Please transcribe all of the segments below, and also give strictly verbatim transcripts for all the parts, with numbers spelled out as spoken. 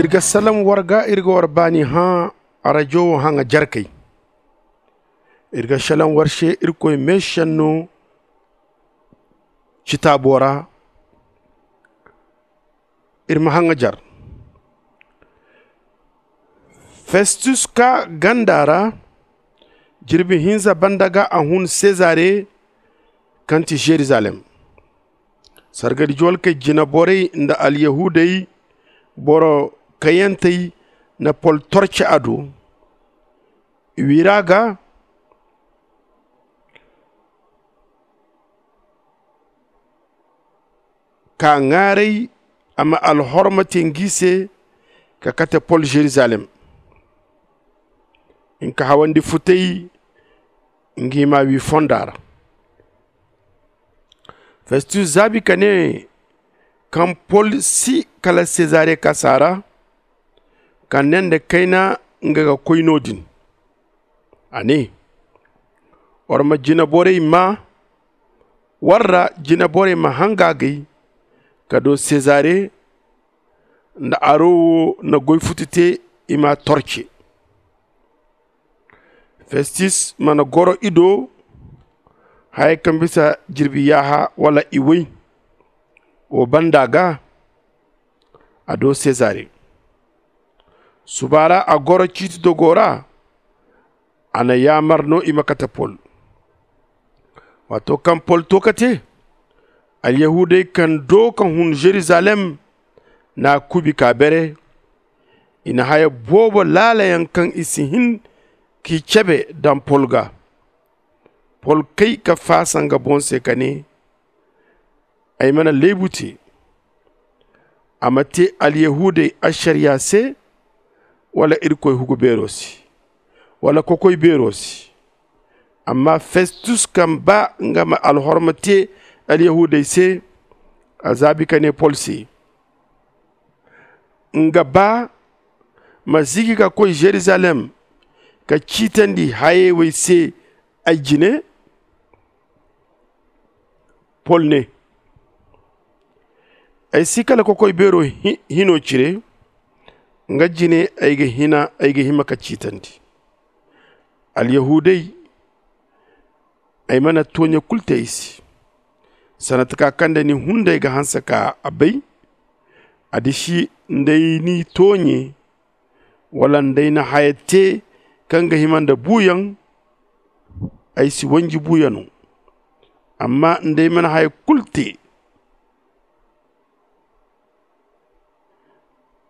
Iri ga salaŋ war ga, iri ga war baani hã arajo wo haŋa jarkey. Iri ga salaŋ war se irkoy meesenno citaabo ra. Iri ma haŋa jar. Festus kaa ganda ra jirbi hinza banda ga a hun sezare kaŋ ti zerizalem. Sargari juwalkey jinaborey nda alyahuudey boro kayantey na pol torce a do. I wira ga ka ŋaaray a ma alhorma te ngi se ka kate pol zerizalem. Nka hawandi futay ngi ma wi fonda ra. Festus zaabi ka ne, kaŋ pol si kala sezare kaasa ra, ka ne nda kayna nga ga koy no- din. A ne, war ma jinaborey maa war ra, jinaborey ma hanga agay ka do sezare nda aro wo na goy futu te i m'a torce. Festus mana goro i do haya kaŋ bisa jirbi yaaha wala i way. Wo banda ga a do sezare. Suba ra a goro ciiti dogo ra. A na yaamar no i ma kate pol. Waato kaŋ pol to ka te, alyahuudey kaŋ do ka hun zerizalem n'a kuubi ka bere. I na haya boobo laala yaŋ kaŋ i si hin k'i cabe daŋ pol ga. Pol kay ka faasa nga boŋ se ka ne, ay mana leebu te. A ma te alyahuudey ašariya se, wala irkoy hugu beero se, wala kokoy beero se. Amma festus kaŋ ba nga ma alhorma te alyahuudey se, a zaabi ka ne pol se, nga ba ma zigi ka koy zerizalem ka ciitandi hayey wey se ay jine. Pol ne, ay si kala kokoy beero hino cire. Nga jine ay ga hima ka ciitandi. Alyahuudey, ay mana tooɲe kul te i se. Sanda taka kaŋ nda ni hunday ga hanse ka a bay, a disi nda ay n'i tooɲe, wala nda ay na haya te kaŋ ga hima nda buuyaŋ, ay si wanji buuyano. Amma nda ay mana haya kul te,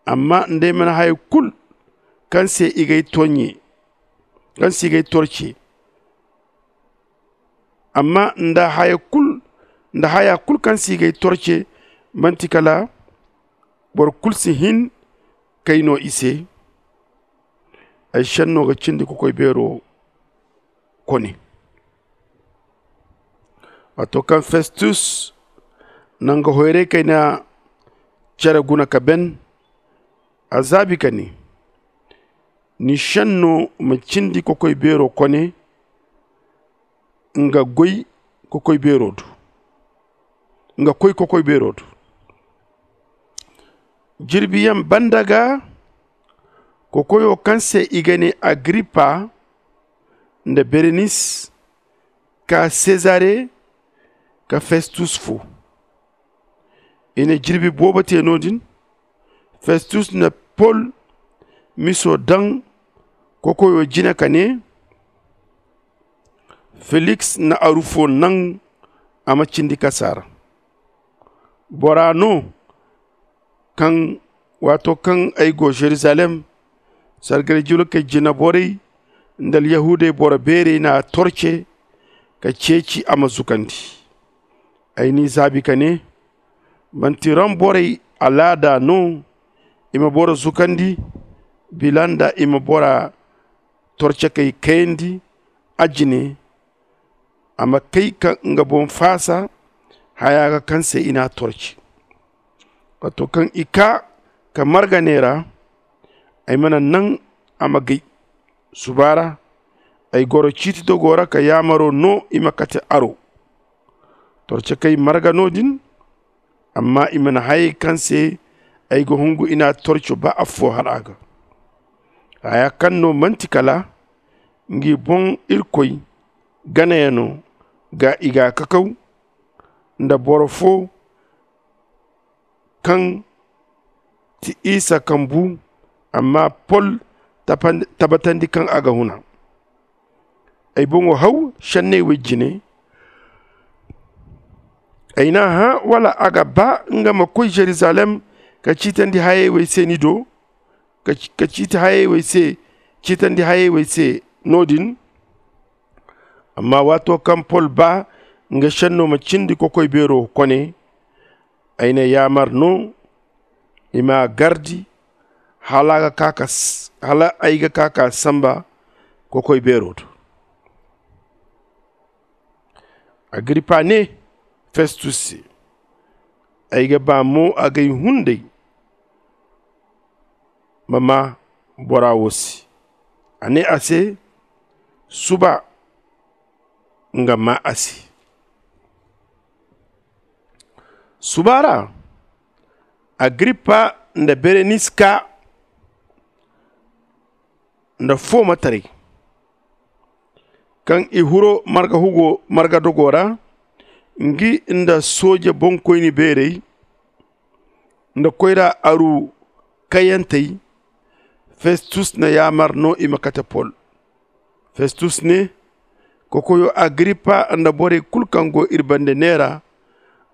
amma nda ay mana haya kul kaŋ se i g'ay tooɲe, kaŋ se i g'ay torce. Amma nda haya kul nda haya kul kaŋ si gay torce, manti kala boro kul si hin kay no i se. Ay senno ga cindi kokoy beero kone. Waato kaŋ festus na nga hoyray kayna care guna ka ben, a zaabi ka ne, ni senno ma cindi kokoy beero kone. Nga goy kokoy beero du nga koy kokoy beero du. Jirbiyaŋ banda ga kokoyo kaŋ se i ga ne agripa nda berenis kaa sezare ka festus fu. I na jirbi boobo te no- din. Festus na pol miso daŋ kokoyo jine ka ne, feliks na arufo naŋ a ma cindi kasaara. Bora no kaŋ waato kaŋ ay go zerizalem, sargari julkey jinaborey nda alyahuudey boro beerey n'a torce ka ceeci a ma zukandi. Ay n'i zaabi ka ne, manti rom borey alaada no i ma boro zukandi bila nda i ma bora torcekey kayandi a jine. A ma kay ka nga boŋ faasa haya ga kaŋ se i n'a torci. Waato kaŋ i kaa ka marga neera, ay mana naŋ a ma gay. Suba ra ay goro ciiti dogo ra ka yaamaro no i ma kate aro. Torcekey marga no- din, amma i mana hayey kaŋ se ay ga hungu i n'a torco ba affo har a ga. Haya kaŋ no manti kala ngi boŋ irkoy ganayaŋo ga i ga kakaw nda boro fo kaŋ ti isa kaŋ bu. Amma pol tabatandi kaŋ a ga huna ay boŋo haw senney wey jine. Ay n'a hã wala a ga ba nga ma koy jerusalem ka ciitandi hayey wey se ni do ka ciiti hayey wey se ciitandi hayey wey se no- din. Amma waato kaŋ pol ba nga senno ma cindi kokoy beero kone, ay na yaamar no i m'a gardi hala ay ga ka ka samba kokoy beero do. Agirippa ne festus se, ay ga ba mo agay hunday ma maa bora wo se. A ne a se, suba nga maa a se. Suba ra agirippa nda berenis kaa nda foomataray kaŋ i huro marga dogo ra, ngi nda sooje boŋkoyni beerey nda koyra aru kayantey. Festus na yaamar no i ma kate pol. Festus ne, kokoyo agirippa nda borey kulu kaŋ go iri bande neera,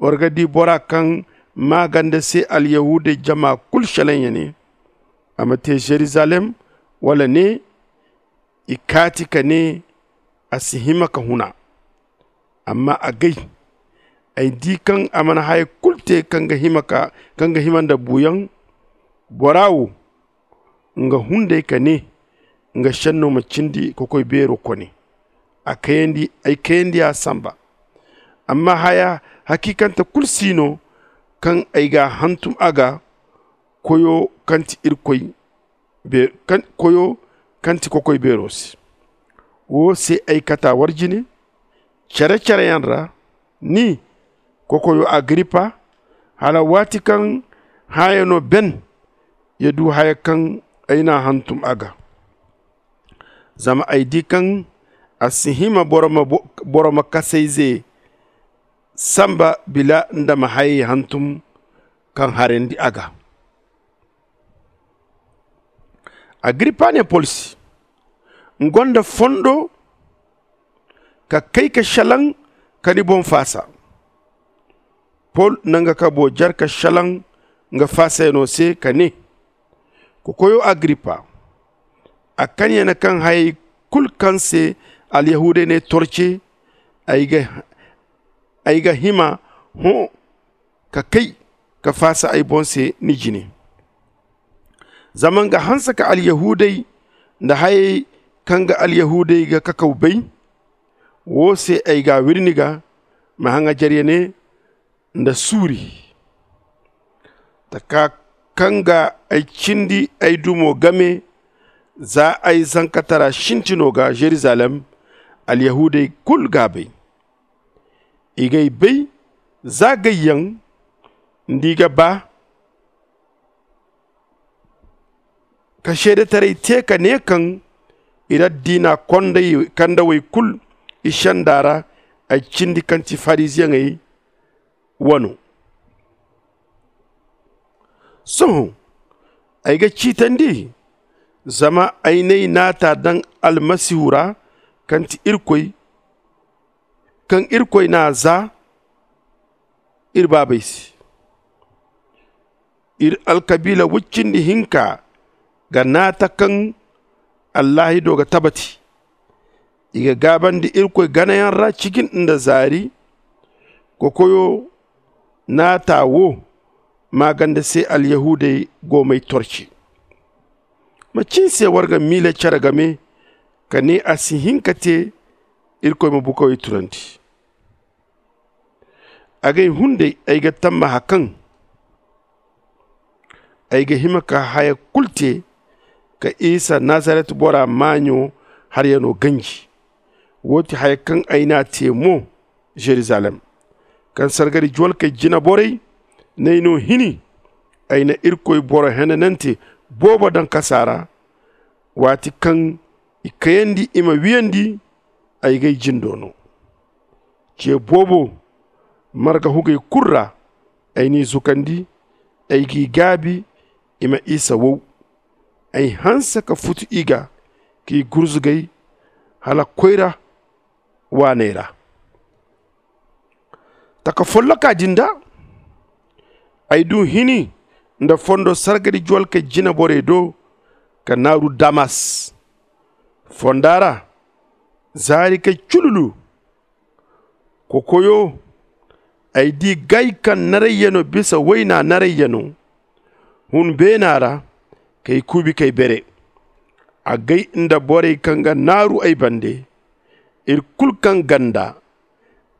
war ga di bora kaŋ maaganda se alyahuudey jama kulu šelaŋ ya ne a ma te žerizalem, wala ne i kaati ka ne a si hima ka huna. Amma agay ay di kaŋ a mana haya kulu te kaŋ ga hima nda buuyaŋ. Bora wo nga hunday ka ne nga šenno ma cindi kokoy beero kone. Ay kayandi a samba. Amma haya hakiikante kulu si no kaŋ ay ga a hantum a ga, koyo kaŋ ti irkoy koyo kaŋ ti kokoy beero se. Wo se ay kata war jine cere-cereyaŋ ra, ni kokoyo agirippa, hala waati kaŋ hããyaŋo ben ya du haya kaŋ ay n'a hantum a ga. Zama ay di kaŋ a si hima boro ma kasayze samba bila nda ma hayey hantum kaŋ harandi a ga. Agirippa ne pol se, nga gonda fondo ka kay ka šelaŋ ka ni boŋ faasa. Pol na nga kabo jare ka šelaŋ nga faasayano se ka ne, kokoyo agirippa, a kanyana kaŋ hayey kulu kaŋ se alyahuudey n'ay torce, ay ga hima hõ ka kay ka faasa ay boŋ se ni jine. Zama nga hanse ka alyahuudey nda hayey kaŋ ga alyahuudey ga kakaw bay. Wo se ay ga a wiri ni ga, ma haŋajer ya ne nda suuri, taka kaŋ ga ay cindi ay dumo game za ay zankatara sintino ga žerizalem. Alyahuudey kulu ga a bay. I g'ay bay za gayyaŋ nda i ga ba ka seedetaray te ka ne kaŋ ir addiina kandawey kulu i senda ra ay cindi kaŋ ti fariziyeŋey wano. Sohõ ay ga ciitandi zama ay n'ay naata daŋ almasihu ra kaŋ ti irkoy kaŋ irkoy n'a za ir baabey se. Ir alkabiila woy cindi hinka ga naata kaŋ allaahido ga tabati. I ga gaabandi irkoy ganayaŋ ra cijin nda zaari. Kokoyo naata wo maaganda se alyahuudey go m'ay torci. Macin se war ga miila care game ka ne a si hin ka te irkoy ma bukawey tunandi? Agay hunday ay ga tammaha kaŋ ay ga hima ka haya kulu te ka isa nazaret bora maaɲo haryano ganji. Wo ti haya kaŋ ay n'a te mo žerizalem kaŋ sargari juwalkey jinaborey n'ay no hini Ay na irkoy boro henanante boobo daŋ kasa ra, waati kaŋ i kayandi i ma wiyandi. Ay g'ay jindo no ce boobo. Marga hugey kulu ra ay n'i zukandi. Ay g'i gaabi i ma isa wow. Ay hanse ka futu i ga k'i gurzugay hala koyra waaney ra. Taka folloka din da ay du hini nda fondo sargari juwalkey jineborey do ka naaru damas fonda ra. Zaari kay cululu kokoyo. Ay di gay kaŋ narayyano bisa wayna narayyano hun beena ra kay kuubi kay bere. Agay nda borey kaŋ ga naaru ay bande iri kulu kaŋ ganda.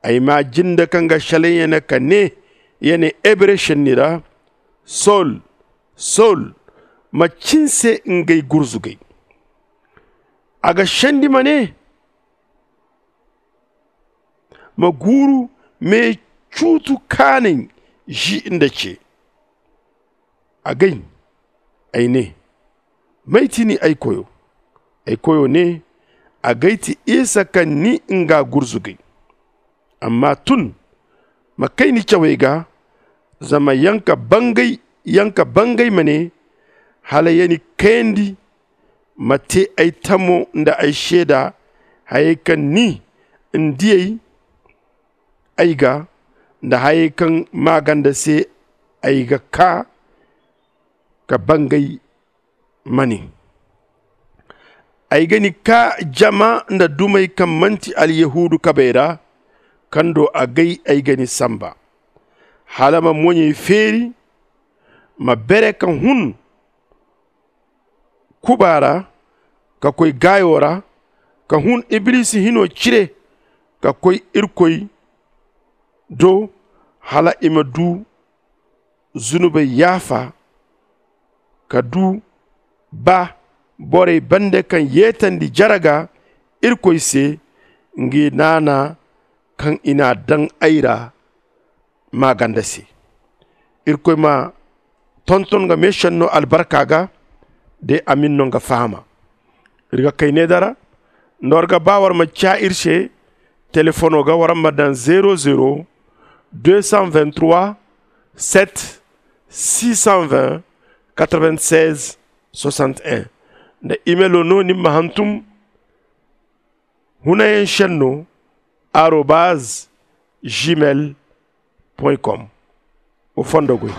Ay ma jinda kaŋ ga shalaŋ ya ne ka ne ya ne hebre shenni ra, sol sol ma cinse ngey gurzugay. A ga shandi ma ne ma guuru me cuutu kaanay zi nda ce. Agay ay ne may ti ni ay koyo? Ay koyo ne agay ti isa kaŋ ni nga gurzugay. Amma tun ma kay ni cawey ga zama yanka bangay ma ne hala ya ni kayandi ma te ay tamo nda ay seeda hayey kaŋ ni n'diyey ay ga nda hayey kaŋ maaganda se ay ga kaa ka bangay ma ne. Ay ga ni kaa jama nda dumey kaŋ manti alyahuudu kabey ra kaŋ do agay ay ga ni samba hala ma moɲey feeri ma bere ka hun kuba ra ka koy gaayo ra ka hun iblisi hino cire ka koy irkoy do hala i ma du zunubey yaafa ka du ba borey bande kaŋ yeetandi jaraga irkoy se ngi naana kaŋ i n'a daŋ ay ra maaganda se. Irkoy ma tonton nga meesenno albarka ga de amin no nga fahama. Iri ga kay ne dara nda war ga ba war ma ca iri se telefono ga war ma daŋ zero zero deux cent vingt-trois sept six cent vingt quatre-vingt-seize soixante-un nda imelo no ni ma hantum hunayaŋ senno arobaz gmail com. Wa fondo goy.